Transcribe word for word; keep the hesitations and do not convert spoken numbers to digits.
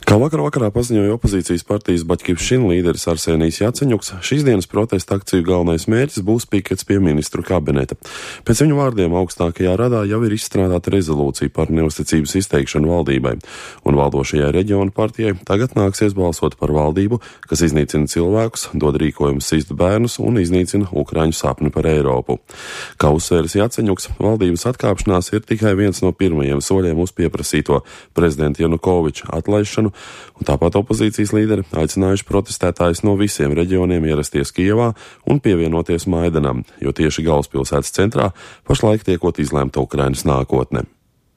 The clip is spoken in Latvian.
Kā vakar vakarā paziņoja opozīcijas partijas Baķkivšina līderis Arsenijs Jaceņuks, šīs dienas protesta akciju galvenais mērķis būs pikets pie ministru kabineta. Pēc viņu vārdiem augstākajā radā jau ir izstrādāta rezolūcija par neusticības izteikšanu valdībai, un valdošajai reģionu partijai tagad nāksies balsot par valdību, kas iznīcina cilvēkus, dod rīkojumus sist bērnus un iznīcina Ukraiņu sapni par Eiropu. Kā uzsvērs Jaceņuks, valdības atkāpšanās ir tikai viens no pirmajiem soļiem uz pieprasīto prezidenta Janukoviča atlaišanu, un tāpat opozīcijas līderi aicinājuši protestētājus no visiem reģioniem ierasties Kijevā un pievienoties Maidanam, jo tieši galvaspilsētas centrā pašlaik tiekot izlēmta Ukrainas nākotne.